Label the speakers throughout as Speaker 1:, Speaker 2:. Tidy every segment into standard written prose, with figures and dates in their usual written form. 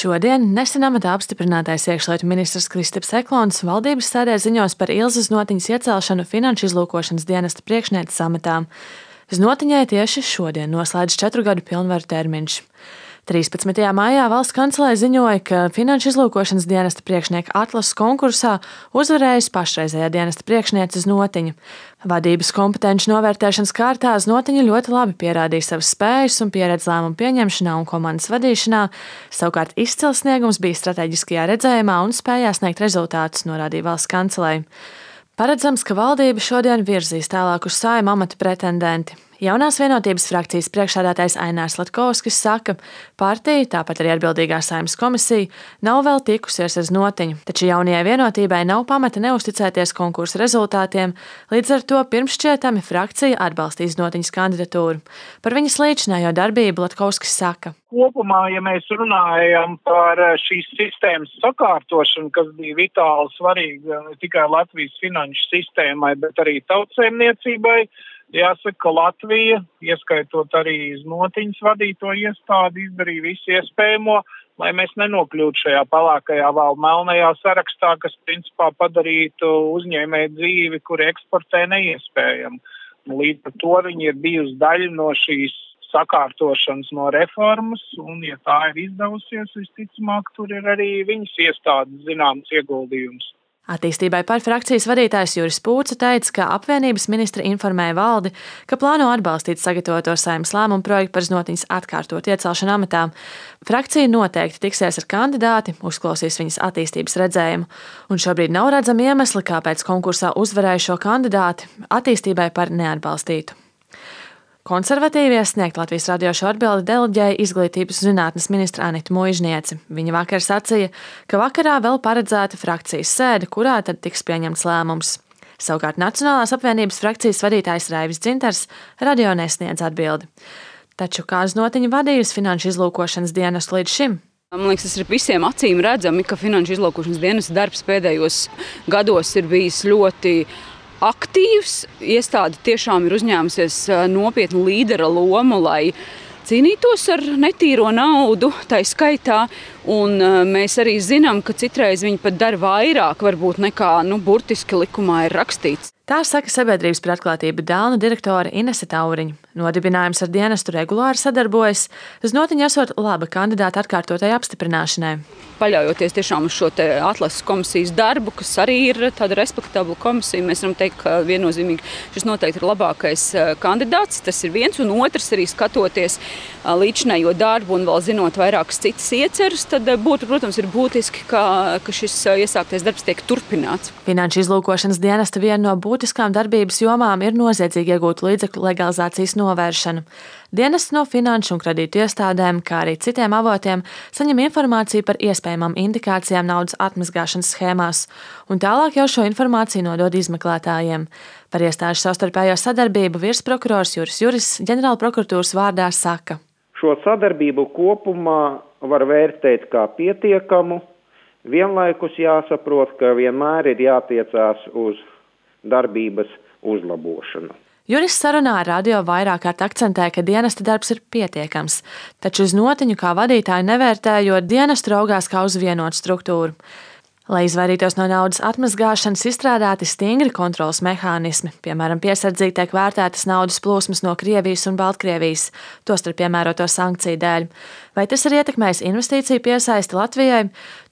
Speaker 1: Šodien nesen amatā apstiprinātais iekšlietu ministrs Kristaps Eklons valdības sēdē ziņos par Ilzas Znotiņas iecelšanu Finanšu izlūkošanas dienesta priekšnieces amatā. Znotiņai tieši šodien noslēdz 4 gadu pilnvaru termiņš. 13. maijā valsts kancelē ziņoja, ka Finanšu izlūkošanas dienesta priekšnieka atlases konkursā uzvarējusi pašreizējā dienesta priekšniece Znotiņa. Vadības kompetenci novērtēšanas kārtā Znotiņa ļoti labi pierādīja savas spējas un pieredzi lēmumu pieņemšanā un komandas vadīšanā, savukārt izcils sniegums bija strateģiskajā redzējumā un spējā sniegt rezultātus, norādīja valsts kancelei. Paredzams, ka valdība šodien virzīs tālāk uz Saeimu amata pretendenti. Jaunās vienotības frakcijas priekšsēdētājs Ainārs Latkovskis saka, partija, tāpat arī atbildīgā Saeimas komisija, nav vēl tikusies ar Znotiņu, taču jaunajai vienotībai nav pamata neusticēties konkursa rezultātiem, līdz ar to pirmšķietami frakcija atbalstīs Znotiņas kandidatūru. Par viņas līdzinējo darbību Latkovskis saka.
Speaker 2: Kopumā, ja mēs runājam par šīs sistēmas sakārtošanu, kas bija vitāli svarīga ne tikai Latvijas finanšu sistēmai, bet arī tautsēmniecībai, jāsaka, ka Latvija, ieskaitot arī Znotiņas vadīto iestādi, izdarīja visu iespējamo, lai mēs nenokļūtu šajā pelēkajā vai melnajā sarakstā, kas principā padarītu uzņēmēju dzīvi, kur eksportē neiespējamu. Līdz ar to viņi ir bijusi daļa no šīs sakārtošanas no reformas, un ja tā ir izdevusies, visticamāk, tur ir arī viņas iestādes zināms ieguldījums.
Speaker 1: Attīstībai par frakcijas vadītājs Juris Pūce teica, ka apvienības ministri informēja valdi, ka plāno atbalstīt sagatavoto Saeimas lēmumu projektu par Znotiņas atkārtot iecelšanu amatā. Frakcija noteikti tiksies ar kandidāti, uzklausīs viņas attīstības redzējumu, un šobrīd nav redzami iemesli, kāpēc konkursā uzvarējušo kandidāti attīstībai par neatbalstītu. Konservatīvie sniegt Latvijas radio šo atbildi deleģēja izglītības zinātnes ministra Anita Muižniece. Viņa vakar sacīja, ka vakarā vēl paredzēta frakcijas sēde, kurā tad tiks pieņemts lēmums. Savukārt Nacionālās apvienības frakcijas vadītājs Raivis Dzintars radio nesniedz atbildi. Taču kā Znotiņa vadījusi Finanšu izlūkošanas dienestu līdz šim?
Speaker 3: Man liekas, tas ir visiem acīm redzami, ka Finanšu izlūkošanas dienesta darbs pēdējos gados ir bijis ļoti aktīvs. Iestāde tiešām ir uzņēmusies nopietnu līdera lomu, lai cīnītos ar netīro naudu, tai skaitā. Un mēs arī zinām, ka citreiz viņi pat dara vairāk, varbūt nekā burtiski likumā ir rakstīts.
Speaker 1: Tā saka Sabiedrības par atklātību dēlna direktore Inese Tauriņa. Nodibinājums ar dienestu regulāri sadarbojas, Znotiņa esot laba kandidāta atkārtotai apstiprināšanai.
Speaker 3: Paļaujoties tiešām uz šo atlases komisijas darbu, kas arī ir tāda respektabla komisija, mēs varam teikt, ka viennozīmīgi šis noteikti ir labākais kandidāts. Tas ir viens, un otrs arī skatoties līdzinējo darbu un vēl zinot vairākas citas ieceras, tad būtu, protams, ir būtiski, ka šis iesāktais darbs tiek turpināts.
Speaker 1: Finanšu izlūkošanas dienesta viena no būtiskām darbības jomām ir noziedzīgi iegūtu līdzekļu legalizācijas novēršana. Dienests no finanšu un kredītu iestādēm, kā arī citiem avotiem, saņem informāciju par iespējamām indikācijām naudas atmazgāšanas schēmās, un tālāk jau šo informāciju nodod izmeklētājiem. Par iestāžu savstarpējo sadarbību virsprokurors Juris ģenerālprokuratūras vārdā saka.
Speaker 4: Šo sadarbību kopumā var vērtēt kā pietiekamu, vienlaikus jāsaprot, ka vienmēr ir jātiecās uz darbības uzlabošanu.
Speaker 1: Juris sarunā ar radio vairāk kārt akcentē, ka dienesta darbs ir pietiekams, taču Znotiņu kā vadītāju nevērtējot, dienestu raugās kā uz vienotu struktūru. Lai izvairītos no naudas atmazgāšanas, izstrādāti stingri kontroles mehānismi, piemēram, piesardzīgi tiek vērtētas naudas plūsmas no Krievijas un Baltkrievijas, tostarp piemēroto sankciju dēļ. Vai tas ir ietekmējis investīciju piesaisti Latvijai?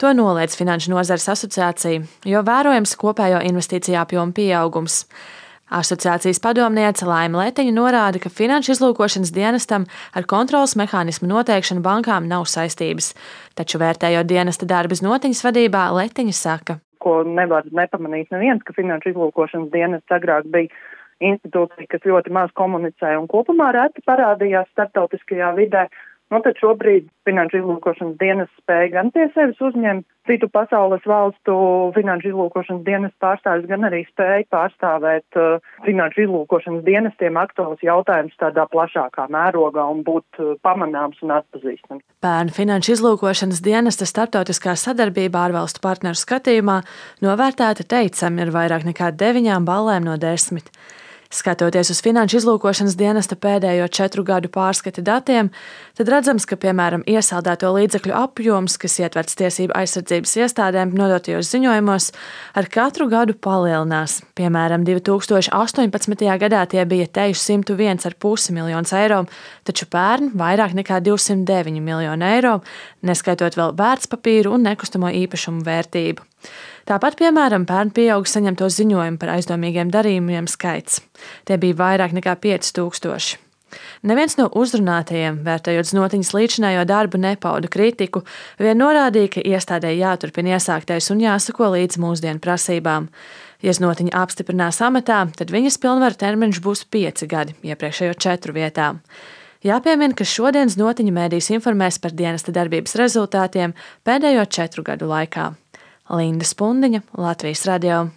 Speaker 1: To noliedz Finanšu nozares asociācija, jo vērojams kopējo investīciju apjomu pieaugums. Asociācijas padomniece Laima Letiņa norāda, ka Finanšu izlūkošanas dienestam ar kontroles mehānismu noteikšanu bankām nav saistības. Taču vērtējot dienesta darbu Znotiņas vadībā, Letiņa saka.
Speaker 5: Ko nevar nepamanīt neviens, ka Finanšu izlūkošanas dienests agrāk bija institūcija, kas ļoti maz komunicēja un kopumā reti parādījās starptautiskajā vidē. Tad šobrīd Finanšu izlūkošanas dienests spēja gan pie sevis uzņemt citu pasaules valstu Finanšu izlūkošanas dienestu pārstāvis, gan arī spēja pārstāvēt Finanšu izlūkošanas dienestiem aktuāls jautājums tādā plašākā mērogā un būt pamanāms un atpazīstams.
Speaker 1: Pērn Finanšu izlūkošanas dienesta starptautiskā sadarbība ārvalstu partneru skatījumā novērtēta teicami ar vairāk nekā 9 balēm no 10. Skatoties uz Finanšu izlūkošanas dienesta pēdējo 4 gadu pārskata datiem, tad redzams, ka, piemēram, iesaldēto līdzekļu apjoms, kas ietverts tiesību aizsardzības iestādēm nodotajos ziņojumos, ar katru gadu palielinās. Piemēram, 2018. gadā tie bija teju 101,5 miljonus eiro, taču pērn vairāk nekā 209 miljonu eiro, neskaitot vēl vērtspapīru un nekustamo īpašumu vērtību. Tāpat, piemēram, pērn pieauga saņemto ziņojumu par aizdomīgiem darījumiem skaits. Tie bija vairāk nekā 5000. Neviens no uzrunātajiem, vērtējot Znotiņas līdzinējo darbu, nepauda kritiku, vien norādīja, ka iestādē jāturpina iesāktais un jāsako līdz mūsdienu prasībām. Ja Znotiņa apstiprinās amatā, tad viņas pilnvaru termiņš būs 5 gadi, iepriekšējo 4 vietā. Jāpiemina, ka šodien Znotiņa mēdījis informēs par dienesta darbības rezultātiem pēdējo 4 gadu laikā. Linda Spundiņa, Latvijas radio.